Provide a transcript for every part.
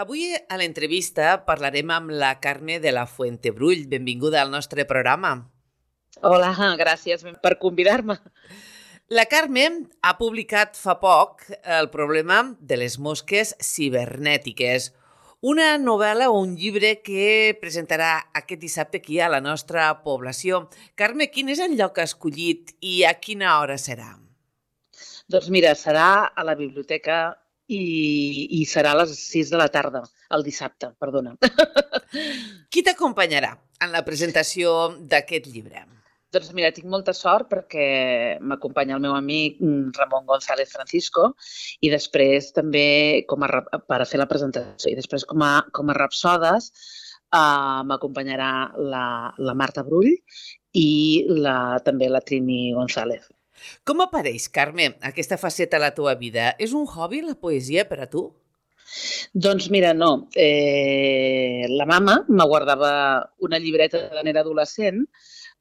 Avui a l'entrevista parlarem amb la Carme de la Fuentebrull. Benvinguda al nostre programa. Hola, gràcies per convidar-me. La Carme ha publicat fa poc El problema de les mosques cibernètiques, una novel·la o un llibre que presentarà aquest dissabte aquí a la nostra població. Carme, quin és el lloc escollit i a quina hora serà? Doncs mira, serà a la biblioteca i serà a les 6 de la tarda, el dissabte, perdona. Qui t'acompanyarà en la presentació d'aquest llibre? Doncs mira, tinc molta sort perquè m'acompanya el meu amic Ramon González Francisco i després també per a fer la presentació. I després com a rapsodes m'acompanyarà la Marta Brull i també la Trini González. Com apareix, Carme, aquesta faceta a la teva vida? És un hobby, la poesia, per a tu? Doncs mira, no. La mama me guardava una llibreta quan era adolescent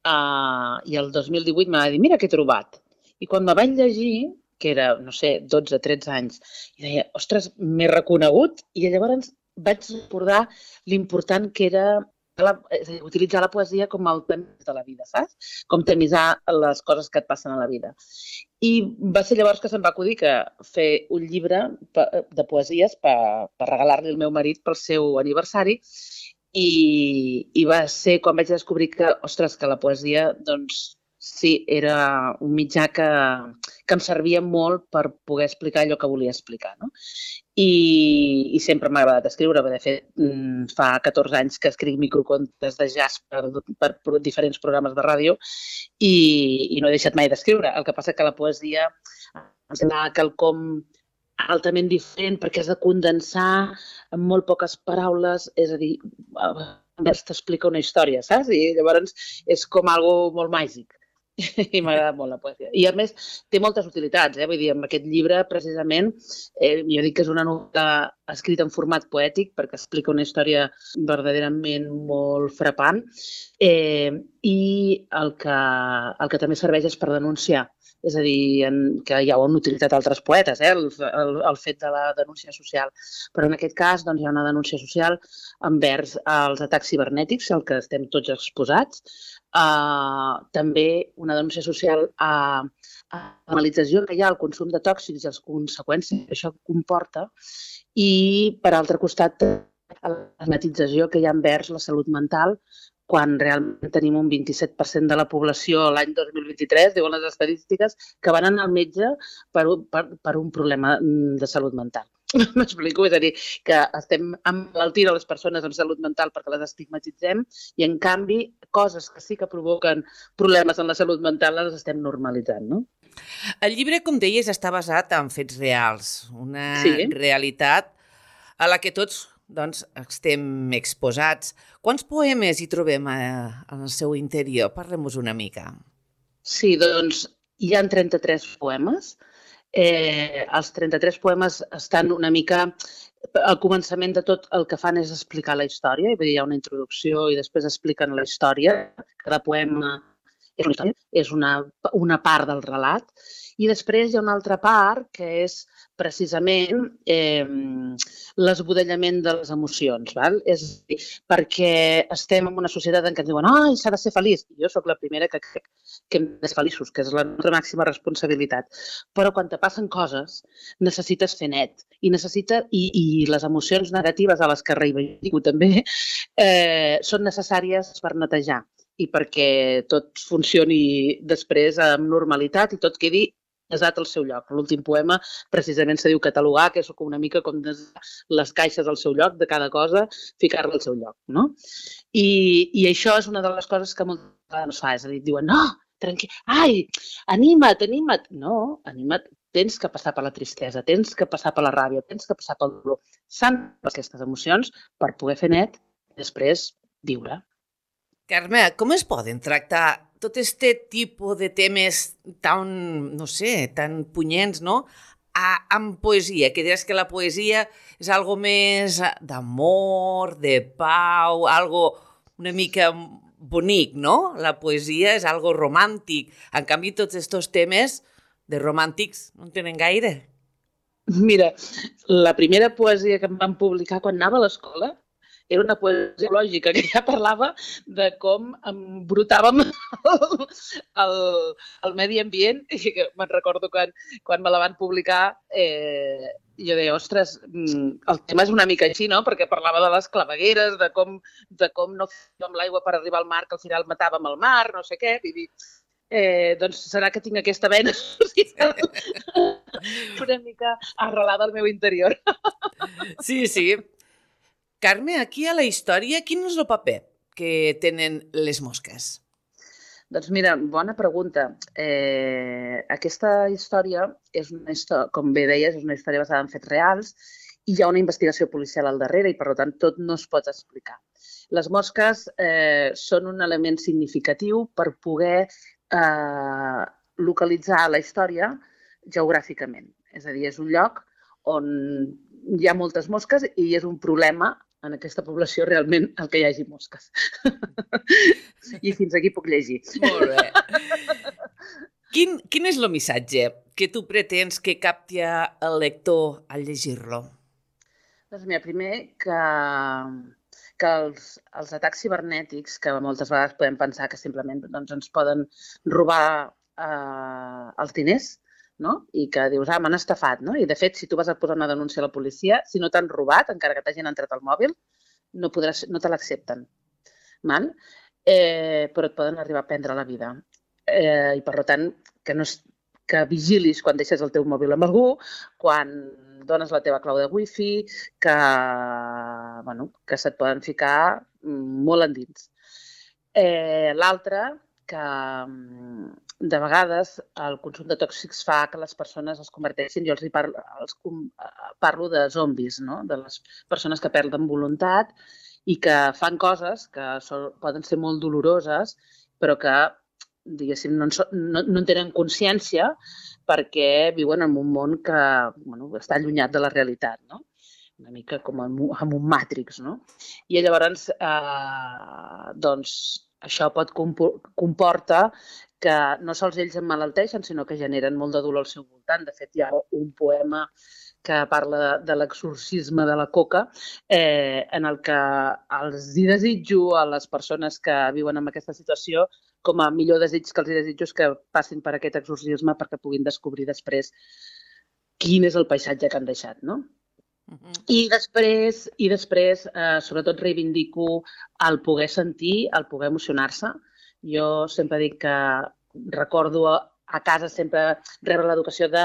i el 2018 m'ha dit, mira què he trobat. I quan me vaig llegir, que era, no sé, 12, 13 anys, i deia, ostres, m'he reconegut. I llavors vaig recordar l'important que era utilitzar la poesia com el temps de la vida, saps? Com tamisar les coses que et passen a la vida. I va ser llavors que se'm va acudir que fer un llibre de poesies per regalar-li al meu marit pel seu aniversari i va ser quan vaig descobrir que, ostres, que la poesia, doncs, sí, era un mitjà que em servia molt per poder explicar allò que volia explicar, no? I sempre m'ha agradat escriure. De fet, fa 14 anys que escric microcontes de jazz per diferents programes de ràdio i no he deixat mai d'escriure. El que passa que la poesia em sembla quelcom altament diferent perquè has de condensar en molt poques paraules, és a dir, t'explica una història, saps? I llavors és com algo molt màgic. I m'agrada molt la poesia. I a més té moltes utilitats, vull dir, amb aquest llibre precisament jo dic que és una novel·la escrita en format poètic perquè explica una història verdaderament molt frapant i el que també serveix és per denunciar. És a dir, que ja ho han utilitzat altres poetes, el fet de la denúncia social. Però en aquest cas doncs, hi ha una denúncia social envers els atacs cibernètics, al que estem tots exposats. També una denúncia social a la normalització que hi ha al consum de tòxics i les conseqüències que això comporta. I, per altre costat, a la estigmatització que hi ha envers la salut mental, quan realment tenim un 27% de la població l'any 2023, diuen les estadístiques, que van anar al metge per un problema de salut mental. M'explico? És a dir, que estem emmalaltint les persones amb salut mental perquè les estigmatitzem i, en canvi, coses que sí que provoquen problemes en la salut mental les estem normalitzant, no? El llibre, com deies, està basat en fets reals, una realitat a la que tots estem exposats. Quants poemes hi trobem en el seu interior? Parlem-nos una mica. Sí, doncs hi ha 33 poemes. Els 33 poemes estan una mica... Al començament de tot el que fan és explicar la història, hi ha una introducció i després expliquen la història. Cada poema és una història, és una part del relat. I després hi ha una altra part que és precisament l'esbudellament de les emocions. Val? És a dir, perquè estem en una societat en què ens diuen «Ai, s'ha de ser feliç». Jo sóc la primera que crec que hem de ser feliços, que és la nostra màxima responsabilitat. Però quan te passen coses necessites fer net i les emocions negatives a les que reivindico també són necessàries per netejar i perquè tot funcioni després amb normalitat i tot quedi desat al seu lloc. L'últim poema precisament se diu catalogar, que és una mica com les caixes al seu lloc de cada cosa, ficar-la al seu lloc, no? I això és una de les coses que moltes vegades fa, és a dir, diuen, no, tranquil, ai, anima't. No, anima't, tens que passar per la tristesa, tens que passar per la ràbia, tens que passar pel dolor. S'han aquestes emocions per poder fer net i després viure. Carme, com es poden tractar tot este tipus de temes tan, no sé, tan punyents, no?, amb poesia, que diràs que la poesia és algo més d'amor, de pau, algo una mica bonic, no? La poesia és algo romàntic. En canvi, tots aquests temes de romàntics no en tenen gaire. Mira, la primera poesia que em van publicar quan anava a l'escola era una poesia lògica que ja parlava de com embrutàvem el, el medi ambient i que me'n recordo quan me la van publicar jo deia, ostres, el tema és una mica així, no? Perquè parlava de les clavegueres, de com no fèiem l'aigua per arribar al mar, que al final matàvem el mar, no sé què, i dir, doncs serà que tinc aquesta vena social una mica arrelada al meu interior. Sí, sí. Carme, aquí a la història, quin és el paper que tenen les mosques? Doncs mira, bona pregunta. Aquesta història és una història, com bé deies, és una història basada en fets reals i hi ha una investigació policial al darrere i, per tant, tot no es pot explicar. Les mosques són un element significatiu per poder localitzar la història geogràficament. És a dir, és un lloc on hi ha moltes mosques i és un problema en aquesta població realment el que hi hagi mosques. I fins aquí puc llegir. Molt bé. Quin és el missatge que tu pretens que capti el lector al llegir-lo? Doncs mira, primer que els atacs cibernètics, que moltes vegades podem pensar que simplement doncs, ens poden robar els diners, no? I que dius, m'han estafat, no? I de fet, si tu vas a posar una denúncia a la policia, si no t'han robat, encara que t'hagin entrat al mòbil, no te l'accepten. Però et poden arribar a prendre la vida. I per tant, que vigilis quan deixes el teu mòbil amb algú, quan dones la teva clau de wifi, que se't poden ficar molt endins. L'altre, que de vegades el consum de tòxics fa que les persones es converteixin, jo parlo de zombis, no? De les persones que perden voluntat i que fan coses que poden ser molt doloroses, però que, diguéssim, no en tenen consciència perquè viuen en un món que està allunyat de la realitat, no? Una mica com en un Matrix, no? I llavors, doncs, això comporta que no sols ells emmalalteixen, sinó que generen molt de dolor al seu voltant. De fet, hi ha un poema que parla de l'exorcisme de la coca, en el que els desitjo a les persones que viuen en aquesta situació com a millor desig que els desitjo és que passin per aquest exorcisme perquè puguin descobrir després quin és el paisatge que han deixat, no? I després, sobretot, reivindico el poder sentir, el poder emocionar-se. Jo sempre dic que recordo a casa sempre rebre l'educació de,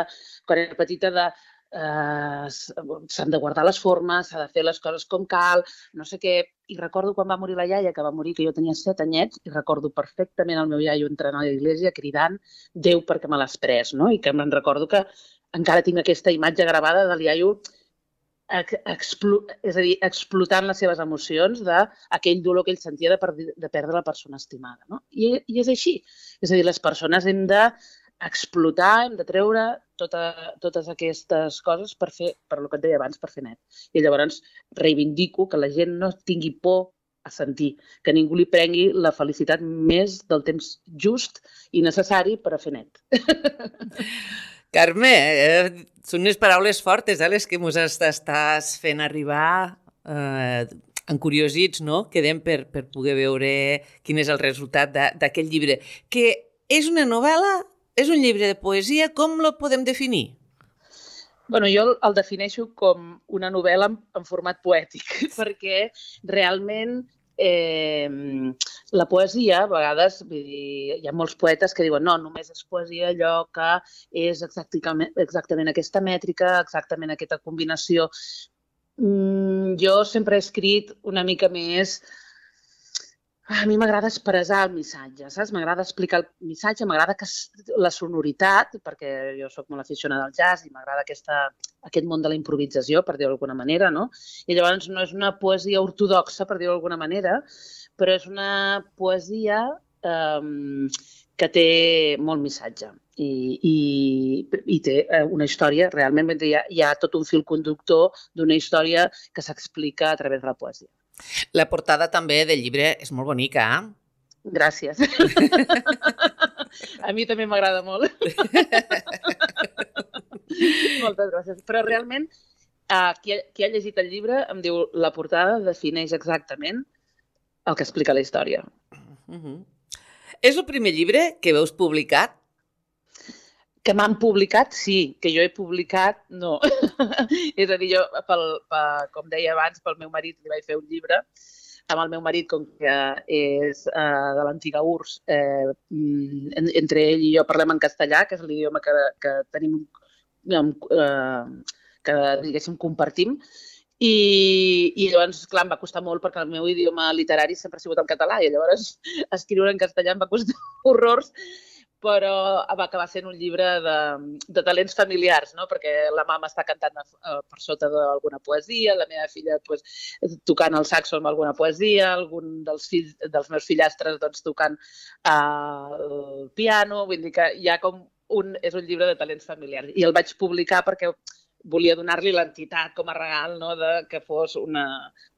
quan era petita, s'han de guardar les formes, s'ha de fer les coses com cal, no sé què. I recordo quan va morir la iaia, que va morir, que jo tenia 7 anyets, i recordo perfectament el meu iaio entrant a l'església cridant Déu perquè me l'has pres, no? I que me'n recordo que encara tinc aquesta imatge gravada de l'IAIO és a dir, explotant les seves emocions d'aquell dolor que ell sentia de perdre la persona estimada. No? I és així. És a dir, les persones hem d'explotar, hem de treure totes aquestes coses per el que et deia abans, per fer net. I llavors reivindico que la gent no tingui por a sentir, que ningú li prengui la felicitat més del temps just i necessari per a fer net. Carme, són unes paraules fortes, les que ens estàs fent arribar encuriosits, no? Quedem per poder veure quin és el resultat d'aquest llibre. Que és una novel·la, és un llibre de poesia, com lo podem definir? Bueno, jo el defineixo com una novel·la en format poètic, perquè realment la poesia, a vegades, hi ha molts poetes que diuen no, només és poesia allò que és exactament aquesta mètrica, exactament aquesta combinació. Jo sempre he escrit una mica més... A mi m'agrada expressar el missatge, saps? M'agrada explicar el missatge, m'agrada la sonoritat, perquè jo soc molt aficionada al jazz i m'agrada aquest món de la improvisació, per dir-ho d'alguna manera, no? I llavors no és una poesia ortodoxa, per dir-ho d'alguna manera, però és una poesia que té molt missatge i té una història, realment hi ha tot un fil conductor d'una història que s'explica a través de la poesia. La portada també del llibre és molt bonica, Gràcies. A mi també m'agrada molt. Moltes gràcies. Però realment, qui ha llegit el llibre em diu la portada defineix exactament el que explica la història. És el primer llibre que veus publicat? Que m'han publicat, sí. Que jo he publicat, no. És a dir, jo, com deia abans, pel meu marit li vaig fer un llibre. Amb el meu marit, com que és de l'antiga URSS, entre ell i jo parlem en castellà, que és l'idioma que tenim, que diguéssim compartim. I llavors, clar, em va costar molt perquè el meu idioma literari sempre ha sigut el català i llavors escriure en castellà em va costar horrors, però va acabar sent un llibre de talents familiars, no? Perquè la mama està cantant per sota d'alguna poesia, la meva filla pues, tocant el saxo amb alguna poesia, algun dels meus fillastres doncs, tocant el piano, vull dir que hi ha com és un llibre de talents familiars. I el vaig publicar perquè volia donar-li l'entitat com a regal, no? Que fos un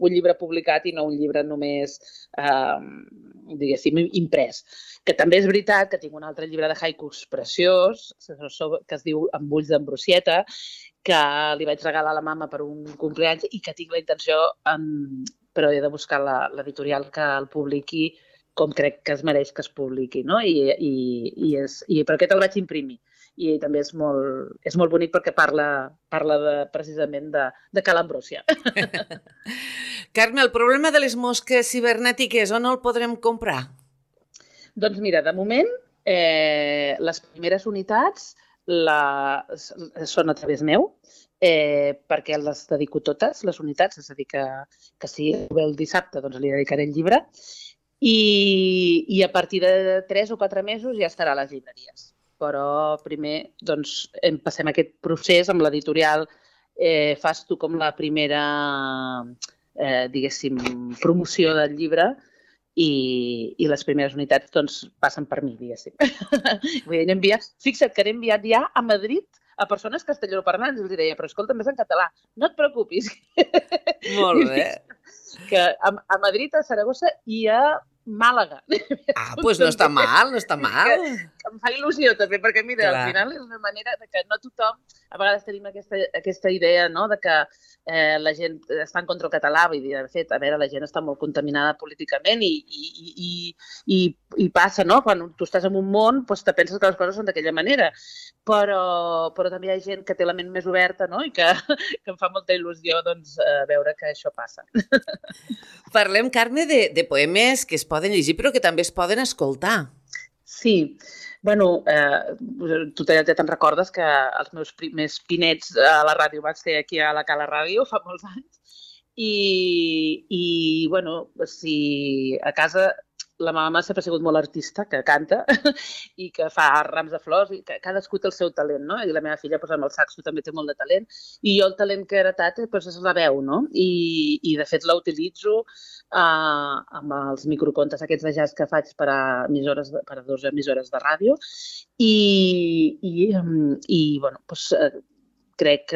llibre publicat i no un llibre només, diguéssim, imprès. Que també és veritat que tinc un altre llibre de haikus preciós, que es diu Amb ulls d'Ambrosieta, que li vaig regalar a la mama per un cumpleaños i que tinc la intenció, però he de buscar l'editorial que el publiqui com crec que es mereix que es publiqui, no? Però aquest el vaig imprimir. I també és molt bonic perquè parla precisament de Ca l'Ambrosia. Carme, el problema de les mosques cibernètiques, on el podrem comprar? Doncs mira, de moment, les primeres unitats són a través meu, perquè les dedico totes, les unitats, és a dir, que si ve el dissabte doncs li dedicaré el llibre, i a partir de 3 o 4 mesos ja estarà a les llibreries. Però primer doncs, passem aquest procés amb l'editorial, fas tu com la primera, diguéssim, promoció del llibre i les primeres unitats doncs, passen per mi, diguéssim. Fixa't que n'he enviat ja a Madrid a persones castellanoparlants, els deia, però escolta, més en català, no et preocupis. Molt bé. Que a Madrid, a Saragossa i a Màlaga. Doncs no està mal, no està mal. Que em fa il·lusió també, perquè mira, al final és una manera de que no tothom, a vegades tenim aquesta idea, no?, de que la gent està en contra del català, vull dir, de fet, a veure, la gent està molt contaminada políticament i passa, no?, quan tu estàs en un món, doncs te penses que les coses són d'aquella manera, però també hi ha gent que té la ment més oberta, no?, i que em fa molta il·lusió, doncs, veure que això passa. Parlem, Carme, de poemes que es poden llegir però que també es poden escoltar. Sí, bueno, tu ja te'n recordes que els meus primers pinets a la ràdio van ser aquí a la Cala Ràdio fa molts anys i bueno, si a casa la mama sempre ha sigut molt artista, que canta i que fa rams de flors i que cadascú té el seu talent, no? I la meva filla amb el saxo també té molt de talent i jo el talent que he heretat és la veu, no? I de fet la utilitzo amb els microcontes aquests de jazz que faig per a 2 emissores de ràdio i bueno, doncs crec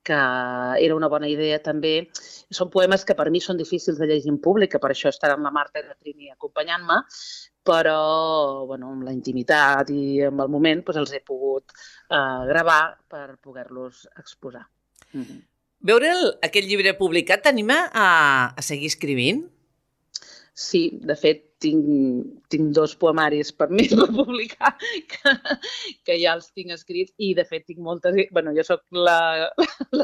que era una bona idea també. Són poemes que per mi són difícils de llegir en públic, que per això estaran la Marta i la Trini acompanyant-me, però bueno, amb la intimitat i amb el moment doncs els he pogut gravar per poder-los exposar. Veure aquest llibre publicat t'anima a seguir escrivint? Sí, de fet, tinc 2 poemaris per mi per publicar, que ja els tinc escrits i, de fet, tinc moltes... Bueno, jo sóc la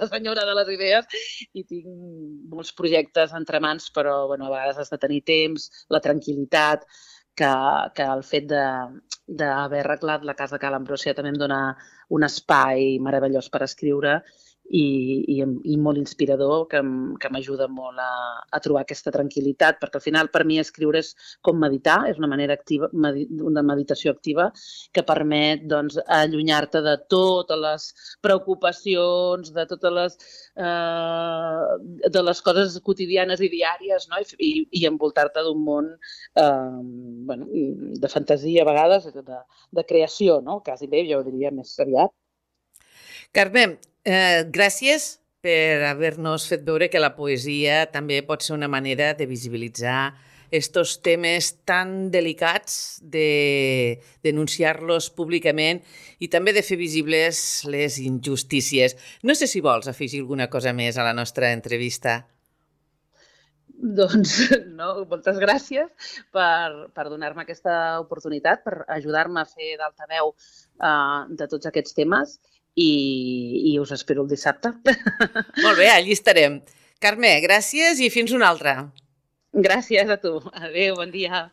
senyora de les idees i tinc molts projectes entre mans, però bueno, a vegades has de tenir temps, la tranquil·litat, que el fet d'haver arreglat la casa Ca l'Ambrosia també em dona un espai meravellós per escriure i molt inspirador, que m'ajuda molt a trobar aquesta tranquil·litat, perquè al final per mi escriure és com meditar, és una manera activa, una meditació activa que permet doncs, allunyar-te de totes les preocupacions, de totes les coses quotidianes i diàries, no? I envoltar-te d'un món bueno, de fantasia a vegades, de creació, no? Quasi bé, jo ho diria més aviat. Carme, gràcies per haver-nos fet veure que la poesia també pot ser una manera de visibilitzar estos temes tan delicats, de denunciar-los públicament i també de fer visibles les injustícies. No sé si vols afegir alguna cosa més a la nostra entrevista. Doncs no, moltes gràcies per donar-me aquesta oportunitat, per ajudar-me a fer d'altaveu de tots aquests temes i us espero el dissabte. Molt bé, allí estarem. Carme, gràcies i fins una altra. Gràcies a tu. Adéu, bon dia.